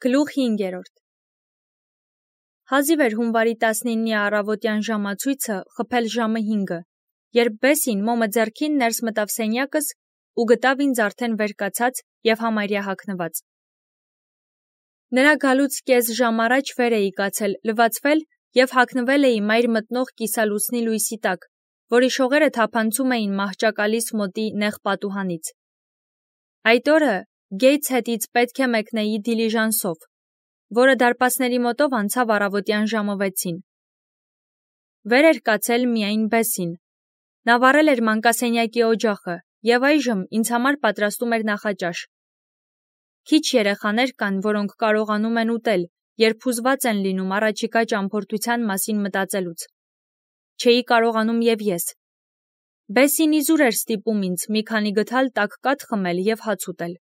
Գլուխ 5. Հազիվ էր հունվարի 19-ի առավոտյան ժամացույցը խփել ժամը 5-ը, երբ Բեսին մոմը ձեռքին ներս մտավ սենյակս ու գտավ ինձ արդեն վեր կացած և համարյա հագնված։ Նրա գալուց կես ժամ առաջ վեր էի կացել, լվացվել և հագնվել էի մայր մտնող կիսալուսնի լույսի տակ, որի շողերը թափանցում էին մահճակալիս մոտի նեղ պատուհանից։ Այդ օրը Գեյթս հետից պետք է մեկնեի դիլիժանսով, որը դարպասների մոտով անցավ առավոտյան ժամը 6-ին։ Վեր էր կացել միայն Բեսին։ Նա վառել էր մանկասենյակի օջախը և այժմ ինձ համար պատրաստում էր նախաճաշ։ Քիչ երեխաներ կան, որոնք կարողանում են ուտել, երբ հուզված են լինում առաջիկա ճամփորդության մասին մտածելուց։ Չէի կարողանում և ես։ Բեսին իզուր էր ստիպում ինձ մի քանի գդալ տաք կաթ խմել և հաց ուտել։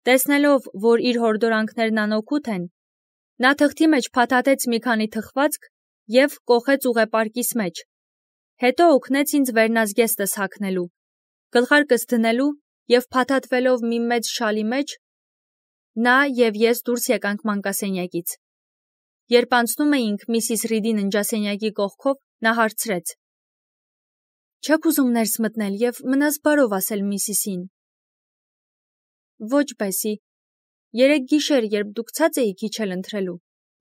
Տեսնելով, որ իր հորդորանքներն անօգուտ են, նա թղթի մեջ փաթաթեց մի քանի թխվածք և կոխեց ուղեպարկիս մեջ, հետո օգնեց ինձ վերնազգեստս հագնելու, գլխարկս դնելու և փաթաթվելով մի մեծ շալի մեջ, նա և ես դուրս եկանք մանկասենյակից։ Երբ անցնում էինք Միսիս Ռիդի ննջասենյակի կողքով, նա հարցրեց. «Չեք ուզում ներս մտնել և մնաս բարով ասել Միսիսին»։ Ոչ, Բեսի, երեկ գիշեր, երբ դուք ցած էիք իջել ընթրելու,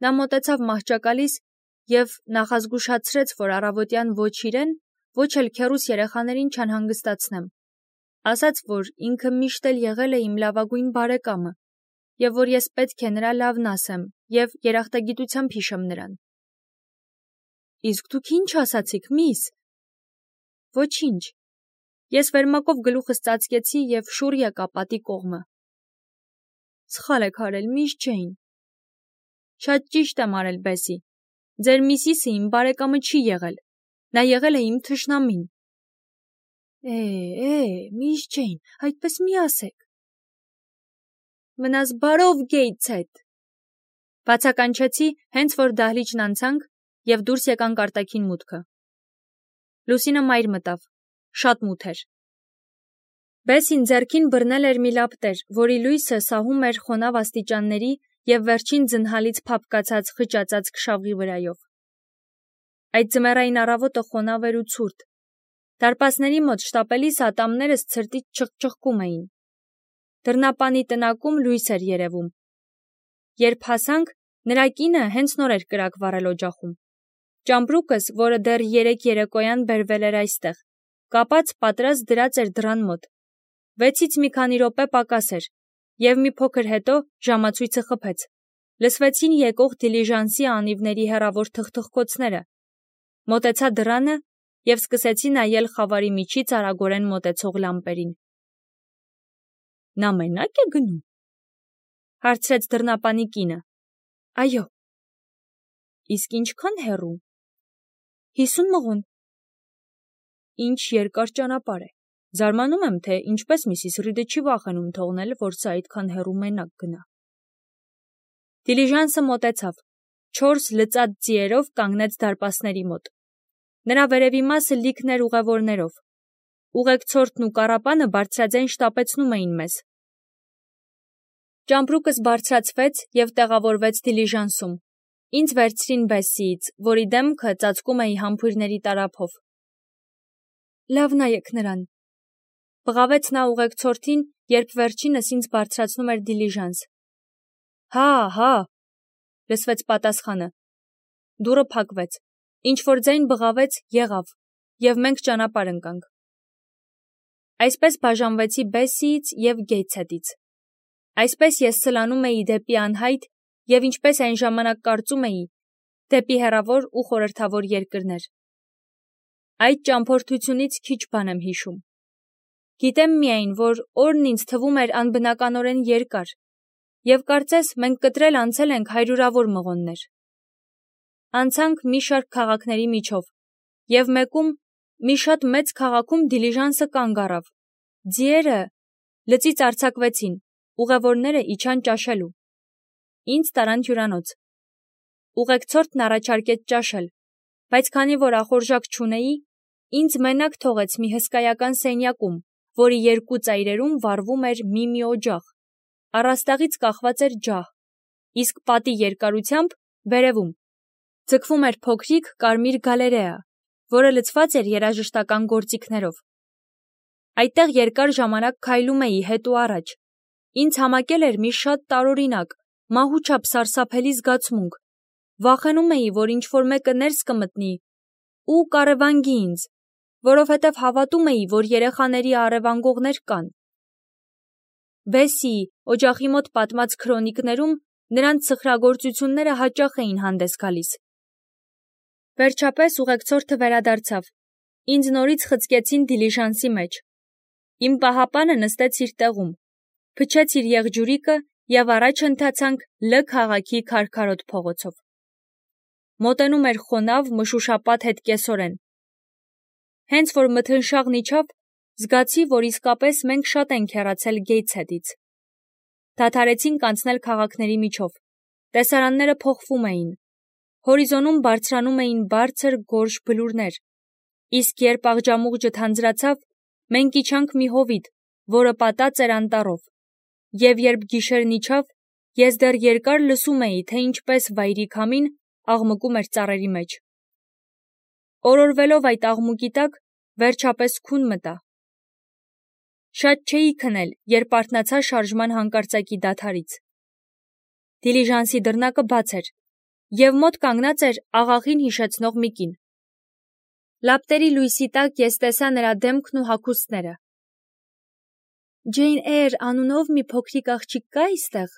նա մոտեցավ մահճակալիս և նախազգուշացրեց, որ առավոտյան ոչ իրեն, ոչ էլ քեռուս երեխաներին չանհանգստացնեմ, ասաց, որ ինքը միշտ էլ եղել է իմ լավագույն բարեկամը և որ ես պետք է նրա լավն ասեմ և երախտագիտությամբ հիշեմ նրան։ Իսկ դուք ինչ ասացիք, միս։ Ոչինչ։ Ես վերմակով գլուխս ծածկեցի և շուռ եկա պատի կողմը։ Սխալ եք արել, միս Ջեյն։ Շատ ճիշտ եմ արել, Բեսի։ Ձեր Միսիսը իմ բարեկամը չի եղել։ Նա եղել է իմ թշնամին։ Միս Ջեյն, այդպես մի ասեք։ Մնաս բարով Գեյթս հետ։ Բացականչեցի, հենց որ դահլիճն անցանք և դուրս եկանք արտաքին մուտքը։ Լուսինը մայր մտավ, շատ մութ էր։ Բեսին ձեռքին բռնել էր մի լապտեր, որի լույսը սահում էր խոնավ աստիճանների և վերջին ձնհալից փափկացած խճածած քշավղի վրայով։ Այդ ձմեռային առավոտը խոնավ էր ու ցուրտ։ Դարպասների մոտ շտապելիս ատամներս ցրտից չխչխկում էին։ Դռնապանի տնակում լույս էր երևում։ Երբ հասանք, նրա կինը հենց նոր էր կրակ վառել օջախում։ Ճամպրուկս, որը դեռ երեկ երեկոյան բերվել էր այստեղ, կապած պատրաստ դրած էր դռան մոտ։ 6-ից մի քանի րոպե պակաս էր, և մի փոքր հետո ժամացույցը խփեց։ Լսվեցին եկող դիլիժանսի անիվների հեռավոր թխթխկոցները։ Մոտեցա դռանը և սկսեցի նայել խավարի միջից արագորեն մոտեցող լամպերին։ Նա մենա՞կ է գնում, հարցրեց դռնապանի կինը։ Այո։ Իսկ ինչքան հեռու։ 50 մղոն։ Ինչ երկար ճանապարհ է։ Զարմանում եմ, թե ինչպես Միսիս Ռիդը չի վախենում թողնել, որ սա այդքան հեռու մենակ գնա։ Դիլիժանսը մոտեցավ, 4 լծած ձիերով կանգնեց դարպասների մոտ։ Նրա վերևի մասը լիքն էր ուղևորներով։ Ուղեկցորդն ու կառապանը բարձրաձայն շտապեցնում էին մեզ։ Ճամպրուկս բարձրացվեց և տեղավորվեց դիլիժանսում։ Ինձ վերցրին Բեսիից, որի դեմքը ծածկում էի համբույրների տարափով։ Լավ նայեք նրան, բղավեց նա ուղեկցորդին, երբ վերջինս ինձ բարձրացնում էր դիլիժանս։ Հա, լսվեց պատասխանը։ Դուռը փակվեց։ Ինչ-որ ձայն բղավեց, եղավ, և մենք ճանապարհ ընկանք։ Այսպես բաժանվեցի Բեսիից և Գեյթս հետից։ Այսպես ես սլանում էի դեպի անհայտ և ինչպես այն ժամանակ կարծում էի, դեպի հեռավոր ու խորհրդավոր երկրներ։ Այդ ճամփորդությունից քիչ բան եմ հիշում։ Գիտեմ միայն, որ օրն ինձ թվում էր անբնականորեն երկար, և կարծես մենք կտրել անցել ենք հարյուրավոր մղոններ։ Անցանք մի շարք քաղաքների միջով, և մեկում, մի շատ մեծ քաղաքում դիլիժանսը կանգ առավ։ Ձիերը լծից արձակվեցին, ուղևորները իջան ճաշելու։ Ինձ տարան հյուրանոց։ Ուղեկցորդն առաջարկեց ճաշել, բայց քանի որ ախորժակ չունեի, ինձ մենակ թողեց մի հսկայական սենյակում, որի երկու ծայրերում վառվում էր մի օջախ, առաստաղից կախված էր ջահ, իսկ պատի երկարությամբ վերևում ձգվում էր փոքրիկ կարմիր գալերեա, որը լցված էր երաժշտական գործիքներով։ Այդտեղ երկար ժամանակ քայլում էի հետ ու առաջ։ Ինձ համակել էր մի շատ տարօրինակ, մահուչափ սարսափելի զգացմունք։ Վախենում էի, որ ինչ-որ մեկը ներս կմտնի ու կառևանգի ինձ, որովհետև հավատում էի, որ երեխաների առևանգողներ կան։ Բեսսիի օջախի մոտ պատմած քրոնիկներում նրանց սխրագործությունները հաճախ էին հանդես գալիս։ Վերջապես ուղեկցորդը վերադարձավ։ Ինձ նորից խցկեցին դիլիժանսի մեջ։ Իմ պահապանը նստեց իր տեղում, փչեց իր եղջյուրիկը և առաջ ընթացանք Լ քաղաքի քարքարոտ փողոցով։ Մոտենում էր խոնավ, մշուշապատ հետկեսօրեն։ Հենց որ մթնշաղն իջավ, զգացի, որ իսկապես մենք շատ ենք հեռացել Գեյթսհեդից։ Դադարեցինք անցնել քաղաքների միջով։ Տեսարանները փոխվում էին։ Հորիզոնում բարձրանում էին բարձր գորշ բլուրներ, իսկ երբ աղջամուղջը թանձրացավ, մենք իջանք մի հովիտ, որը պատած էր անտառով, և երբ գիշերն իջավ, ես դեռ երկար լսում էի, թե ինչպես վայրի քամին աղմկում էր ծառերի մեջ։ Օրորվելով այդ աղմուկի տակ, վերջապես քուն մտա։ Շատ չէի քնել, երբ արթնացա շարժման հանկարծակի դադարից։ Դիլիժանսի դռնակը բաց էր, և մոտ կանգնած էր աղախին հիշեցնող մի կին։ Լապտերի լույսի տակ ես տեսա նրա դեմքն ու հագուստները։ «Ջեյն Էյր անունով մի փոքրիկ աղջիկ կա այստեղ»,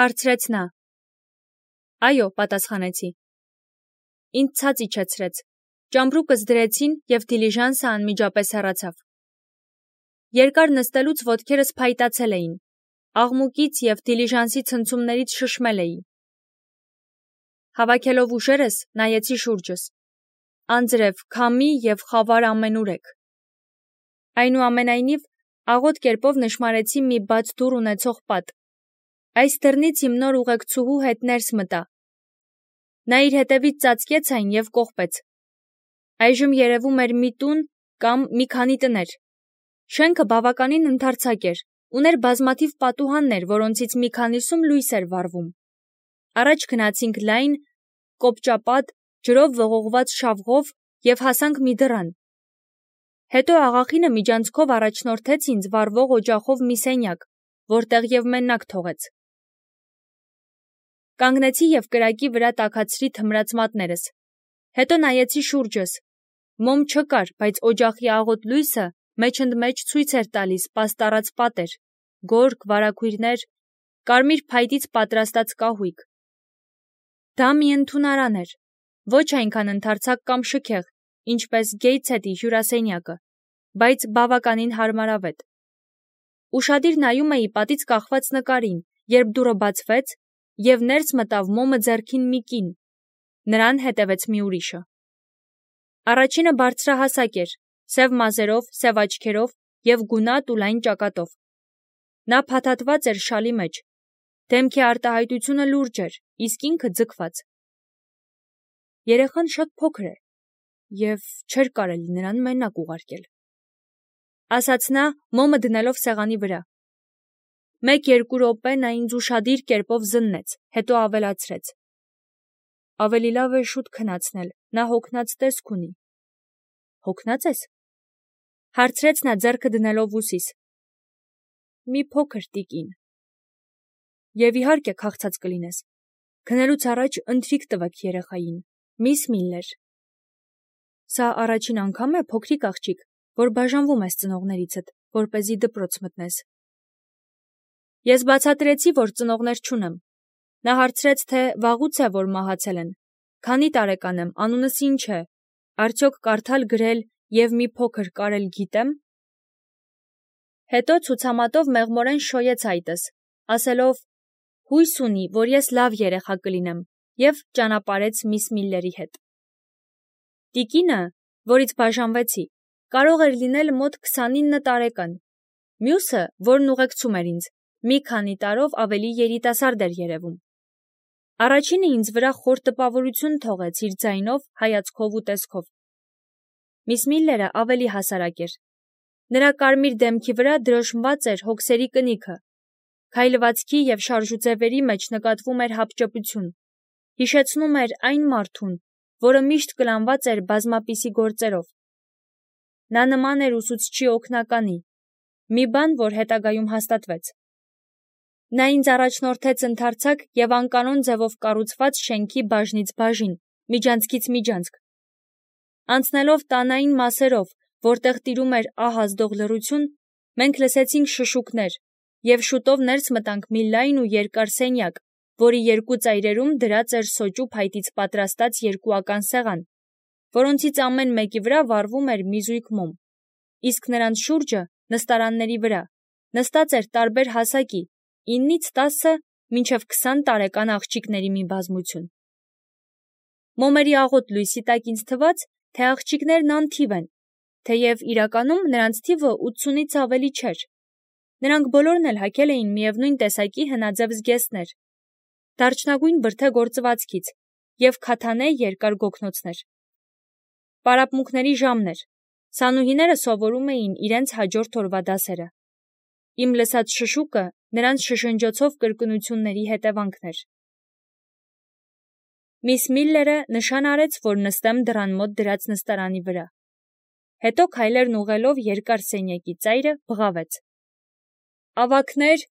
հարցրեց նա։ «Այո», պատասխանեցի։ Ինձ ցած իջեցրեց։ Ճամպրուկս դրեցին, և դիլիժանսը անմիջապես հեռացավ։ Երկար նստելուց ոտքերս փայտացել էին։ Աղմուկից և դիլիժանսի ցնցումներից շշմել էի։ Հավաքելով ուժերս, նայեցի շուրջս։ Անձրև, քամի և խավար ամենուրեք։ Այնուամենայնիվ, աղոտ կերպով նշմարեցի մի բաց դուռ ունեցող պատ։ Այս դռնից իմ նոր ուղեկցուհու հետ ներս մտա։ Նա իր հետևից ծածկեց այն և կողպեց։ Այժմ երևում էր մի տուն կամ մի քանի տներ։ Շենքը բավականին ընդարձակ էր, ուներ բազմաթիվ պատուհաններ, որոնցից մի քանիսում լույս էր վառվում։ Առաջ գնացինք լայն, կոպճապատ, ջրով ողողված շավղով և հասանք մի դռան։ Հետո աղախինը միջանցքով առաջնորդեց ինձ վառվող օջախով մի սենյակ, որտեղ և մենակ թողեց։ Կանգնեցի և կրակի վրա տաքացրի թմրած մատներս։ Հետո նայեցի շուրջս։ Մոմ չկար, բայց օջախի աղոտ լույսը մեջընդմեջ ցույց էր տալիս պաստառած պատեր, գորգ, վարագույրներ, կարմիր փայտից պատրաստած կահույք։ Դա մի ընդունարան էր, ոչ այնքան ընդարձակ կամ շքեղ, ինչպես Գեյթսհեդի հյուրասենյակը, բայց բավականին հարմարավետ։ Ուշադիր նայում էի պատից կախված նկարին, երբ դուռը բացվեց, և ներս մտավ մոմը ձեռքին մի կին։ Նրան հետևեց մի ուրիշը։ Առաջինը բարձրահասակ էր, սև մազերով, սև աչքերով և գունատ ու լայն ճակատով։ Նա փաթաթված էր շալի մեջ։ Դեմքի արտահայտությունը լուրջ էր, իսկ ինքը ձգված։ Երեխան շատ փոքր է, և չէր կարելի նրան մենակ ուղարկել, ասաց նա, մոմը դնելով սեղանի վրա։ 1-2 րոպե նա ինձ ուշադիր կերպով զննեց, հետո ավելացրեց. Ավելի լավ է շուտ քնացնել, նա հոգնած տեսք ունի։ Հոգնա՞ծ ես, հարցրեց նա ձեռքը դնելով ուսիս։ Մի փոքր, տիկին։ Եվ իհարկե քաղցած կլինես։ Քնելուց առաջ ընթրիք տվեք երեխային, միս Միլլեր։ Սա առաջին անգամ է, փոքրիկ աղջիկ, որ բաժանվում ես ծնողներիցդ, որպեսզի դպրոց մտնես։ Ես բացատրեցի, որ ծնողներ չունեմ։ Նա հարցրեց, թե վաղուց է, որ մահացել են, քանի տարեկան եմ, անունս ինչ է, արդյոք կարդալ գրել և մի փոքր կարել գիտեմ։ Հետո ցուցամատով մեղմորեն շոյեց այտս, ասելով. հույս ունի, որ ես լավ երեխա կլինեմ, և ճանապարհեց միս Միլլերի հետ։ Տիկինը, որից բաժանվեցի, կարող էր լինել մոտ 29 տարեկան։ Մյուսը, որն ուղեկցում էր ինձ, մի քանի տարով ավելի երիտասարդ էր երևում։ Առաջինը ինձ վրա խոր տպավորություն թողեց իր ձայնով, հայացքով ու տեսքով։ Միս Միլլերը ավելի հասարակ էր։ Նրա կարմիր դեմքի վրա դրոշմված էր հոգսերի կնիքը, Քայլվածքի և շարժուձևերի մեջ նկատվում էր հապճեպություն, հիշեցնում էր այն մարդուն, որը միշտ կլանված էր բազմապիսի գործերով։ Նա նման էր ուսուցչի օգնականի, մի բան, որ հետագայում հաստատվեց։ Նա ինձ առաջնորդեց ընդարձակ և անկանոն ձևով կառուցված շենքի բաժնից բաժին, միջանցքից միջանցք։ Անցնելով տանային մասերով, որտեղ տիրում էր ահազդող լռություն, մենք լսեցինք շշուկներ և շուտով ներս մտանք մի լայն ու երկար սենյակ, որի երկու ծայրերում դրած էր սոճու փայտից պատրաստած երկուական սեղան, որոնցից ամեն մեկի վրա վառվում էր մի զույգ մոմ, իսկ նրանց շուրջը, նստարանների վրա, նստած էր տարբեր հասակի, 9-ից 10 մինչև 20 տարեկան աղջիկների մի բազմություն։ Մոմերի աղոտ լույսի տակ ինձ թվաց, թե աղջիկներն անթիվ են, թեև իրականում նրանց թիվը 80-ից ավելի չէր։ Նրանք բոլորն էլ հագել էին միևնույն տեսակի հնաձև զգեստներ, դարչնագույն բրդե գործվածքից և քաթանե երկար գոգնոցներ։ Պարապմունքների ժամն էր, սանուհիները սովորում էին իրենց հաջորդ օրվա դասերը։ Իմ լսած շշուկը նրանց շշնջոցով կրկնությունների հետևանքն էր։ Միս Միլլերը նշան արեց, որ նստեմ դռան մոտ դրած նստարանի վրա։ Հետո քայլերն ուղղելով երկար սենյակի ծայրը բղավեց. «Ավագներ,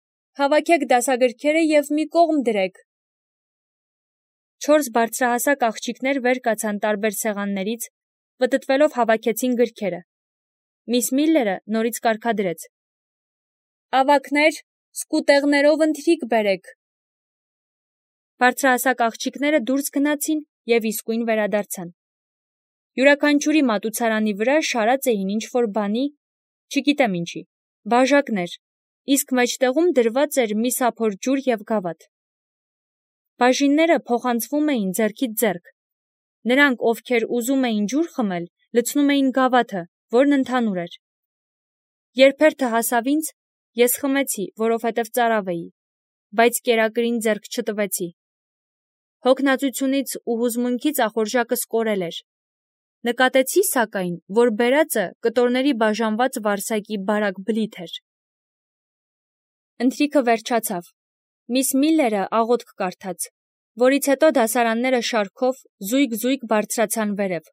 հավաքեք դասագրքերը և մի կողմ դրեք»։ 4 բարձրահասակ աղջիկներ վեր կացան տարբեր սեղաններից, պտտվելով հավաքեցին գրքերը։ Միս Միլլերը նորից կարգադրեց. «Ավագներ, սկուտեղներով ընթրիք բերեք»։ Բարձրահասակ աղջիկները դուրս գնացին և իսկույն վերադարձան։ Յուրաքանչյուրի մատուցարանի վրա շարած էին ինչ-որ բանի, չգիտեմ ինչի, բաժակներ, իսկ մեջտեղում դրված էր մի սափոր ջուր և գավաթ։ Բաժինները փոխանցվում էին ձեռքից ձեռք։ Նրանք, ովքեր ուզում էին ջուր խմել, լցնում էին գավաթը, որն ընդհանուր էր։ Երբ հերթը հասավ ինձ, ես խմեցի, որովհետև ծարավ էի, բայց կերակրին ձեռք չտվեցի։ Հոգնածությունից ու հուզմունքից ախորժակս կորել էր։ Նկատեցի, սակայն, որ բերածը կտորների բաժանված վարսակի բարակ բլիթ էր։ Ընթրիքը վերջացավ։ Միս Միլլերը աղոթք կարդաց, որից հետո դասարանները շարքով զույգ-զույգ բարձրացան վերև։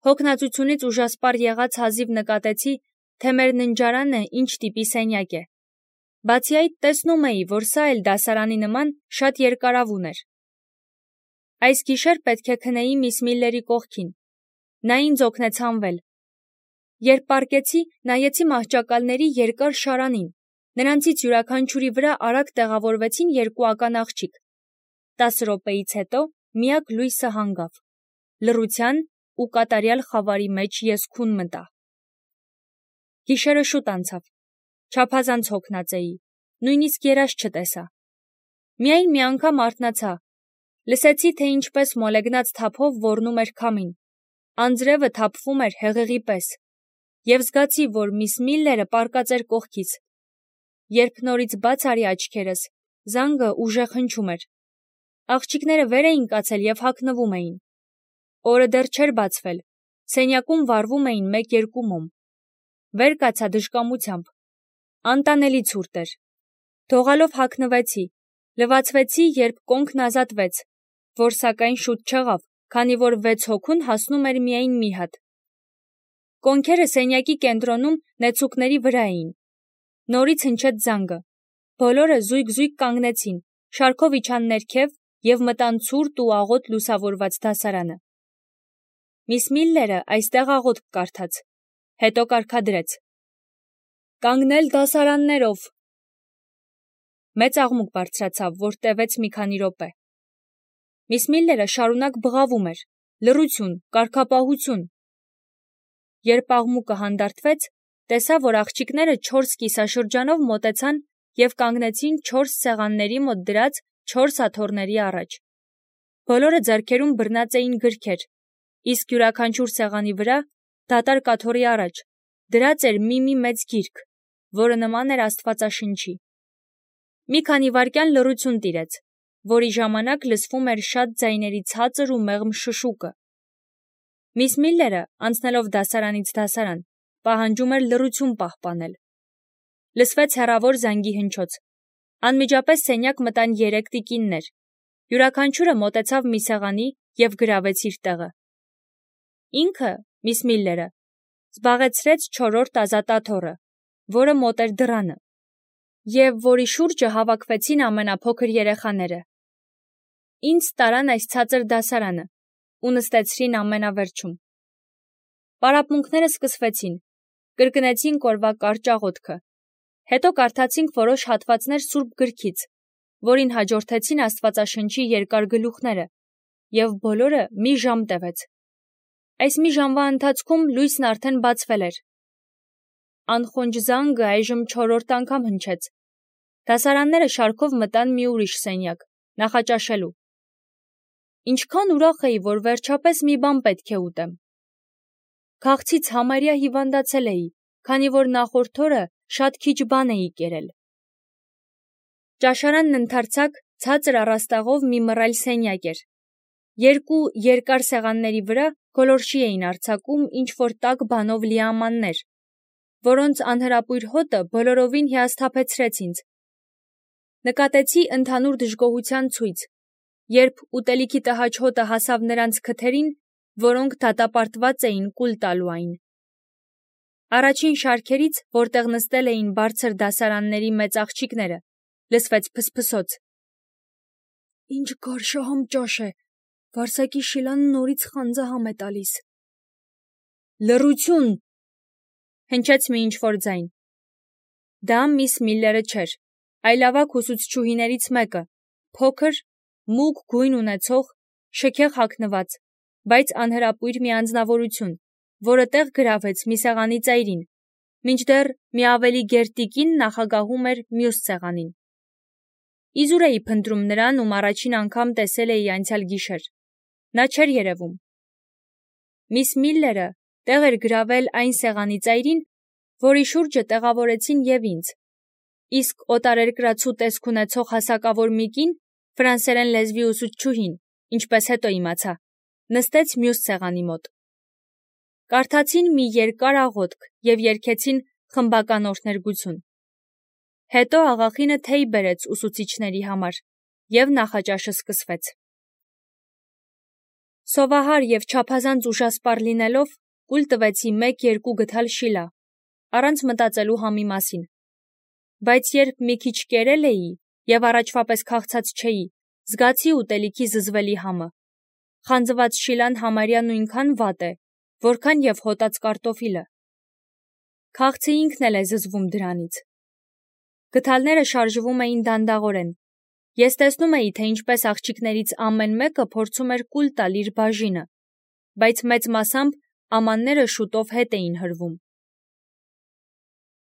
Հոգնածությունից ուժասպառ եղած հազիվ նկատեցի, թե մեր ննջարանը ինչ տիպի սենյակ է։ Բացի այդ, տեսնում էի, որ սա էլ դասարանի նման շատ երկարավուն էր։ Այս գիշեր պետք է քնեի միս Միլլերի կողքին։ Նա ինձ օգնեց հանվել։ Երբ պառկեցի, նայեցի մահճակալների երկար շարանին։ Նրանցից յուրաքանչյուրի վրա արագ տեղավորվեցին երկուական աղջիկ։ 10 րոպեից հետո միակ լույսը հանգավ։ Լռության ու կատարյալ խավարի մեջ ես քուն մտա։ Գիշերը շուտ անցավ։ Չափազանց հոգնած էի, նույնիսկ երազ չտեսա։ Միայն մի անգամ արթնացա։ Լսեցի, թե ինչպես մոլեգնած թափով ոռնում էր քամին։ Անձրևը թափվում էր հեղեղի պես։ Եվ զգացի, որ միս Միլլերը պառկած էր կողքից։ Երբ նորից բաց արի աչքերս, զանգը ուժեղ հնչում էր։ Աղջիկները վեր էին կացել և հագնվում էին։ Օրը դեռ չէր բացվել։ Սենյակում վառվում էին 1-2 մոմ։ Վեր կացա դժկամությամբ։ Անտանելի ցուրտ էր։ Դողալով հագնվեցի, լվացվեցի, երբ կոնքն ազատվեց, որ սակայն շուտ չեղավ, քանի որ 6 հոգուն հասնում էր միայն մի հատ։ Կոնքերը սենյակի կենտրոնում նեցուկների վրա էին։ Նորից հնչեց զանգը։ Բոլորը զույգ-զույգ կանգնեցին, շարքով իջան ներքև և մտան ցուրտ ու աղոտ լուսավորված դասարանը։ Միս Միլլերը այստեղ աղոթք կարդաց, հետո կարգադրեց. «Կանգնել դասարաններով»։ Մեծ աղմուկ բարձրացավ, որ տևեց մի քանի րոպե։ Միս Միլլերը շարունակ բղավում էր. «Լռություն, կարգապահություն»։ Երբ աղմուկը հանդարտվեց, տեսա, որ աղջիկները 4 կիսաշրջանով մոտեցան և կանգնեցին 4 սեղանների մոտ դրած 4 աթոռների առաջ։ Բոլորը ձեռքերում բռնած էին գրքեր, իսկ յուրաքանչյուր սեղանի վրա, դատարկ աթոռի առաջ, դրած էր մի մեծ գիրք, որը նման էր Աստվածաշնչի։ Մի քանի վայրկյան լռություն տիրեց, որի ժամանակ լսվում էր շատ ձայների ցածր ու մեղմ շշուկը։ Միս Միլլերը, անցնելով դասարանից դասարան, պահանջում էր լռություն պահպանել։ Լսվեց հեռավոր զանգի հնչոց։ Անմիջապես սենյակ մտան 3 տիկիններ։ Յուրաքանչյուրը մոտեցավ մի սեղանի և գրավեց իր տեղը։ Ինքը, միս Միլլերը, զբաղեցրեց 4-րդ ազատաթոռը, որը մոտ էր դռանը, և որի շուրջը հավաքվեցին ամենափոքր երեխաները։ Ինձ տարան այս ցածր դասարանը ու նստեցրին ամենավերջում։ Պարապմունքները սկսվեցին, կրկնեցինք օրվա կարճ աղոթքը, հետո կարդացինք որոշ հատվածներ Սուրբ Գրքից, որին հաջորդեցին Աստվածաշնչի երկար գլուխները, և բոլորը մի ժամ տևեց։ Այս մի ժամվա ընթացքում լույսն արդեն բացվել էր։ Անխոնջ զանգը այժմ 4-րդ անգամ հնչեց։ Դասարանները շարքով մտան մի ուրիշ սենյակ, նախաճաշելու։ Ինչքան ուրախ էի, որ վերջապես մի բան պետք է ուտեմ։ Քաղցից համարյա հիվանդացել էի, քանի որ նախորդ օրը շատ քիչ բան էի կերել։ Ճաշարանն ընդարձակ ցածր առաստաղով մի մռայլ սենյակ էր։ 2 երկար սեղանների վրա գոլորշի էին արձակում ինչ-որ տաք բանով լի ամաններ, որոնց անհրապույր հոտը բոլորովին հիասթափեցրեց ինձ։ Նկատեցի ընդհանուր դժգոհության ցույց, երբ ուտելիքի տհաճ հոտը հասավ նրանց քթերին, որոնք դատապարտված էին կուլ տալու այն։ Առաջին շարքերից, որտեղ նստել էին բարձր դասարանների մեծ աղջիկները, լսվեց փսփսոց։ Ինչ գարշահամ ճաշ է, Վարսակի Շիլան նորից խանձահամ է տալիս։ Լռություն, հնչեց մի ինչ-որ ձայն։ Դա միս Միլլերը չէր, այլ ավագ ուսուցչուհիներից մեկը, փոքր, մուգ գույն ունեցող, շքեղ հագնված, բայց անհրապույր մի անձնավորություն, որը տեղ գրավեց մի սեղանի ծայրին, մինչդեռ մի ավելի գեր տիկին նախագահում էր մյուս սեղանին։ Իզուր էի փնտրում նրան, ում առաջին անգամ տեսել էի անցյալ գիշեր։ Նա չէր երևում։ Միս Միլլերը տեղ էր գրավել այն սեղանի ծայրին, որի շուրջը տեղավորեցին և ինձ, իսկ օտարերկրացու տեսք ունեցող հասակավոր մի կին, ֆրանսերեն լեզվի ուսուցչուհին, ինչպես հետո իմացա, նստեց մյուս սեղանի մոտ։ Կարդացին մի երկար աղոթք և երգեցին խմբական օրհներգություն։ Հետո աղախինը թեյ բերեց ուսուցիչների համար, և նախաճաշը սկսվեց։ Սովահար և չափազանց ուժասպառ լինելով, կուլ տվեցի 1-2 գդալ շիլա, առանց մտածելու համի մասին։ Բայց երբ մի քիչ կերել էի և առաջվա պես քաղցած չէի, զգացի ուտելիքի զզվելի համը։ Խանձված շիլան համարյա նույնքան վատ է, որքան և հոտած կարտոֆիլը։ Քաղցը ինքն էլ է զզվում դրանից։ Գդալները շարժվում էին դանդաղորեն։ Ես տեսնում էի, թե ինչպես աղջիկներից ամեն մեկը փորձում էր կուլ տալ իր բաժինը, բայց մեծ մասամբ ամանները շուտով հետ էին հրվում։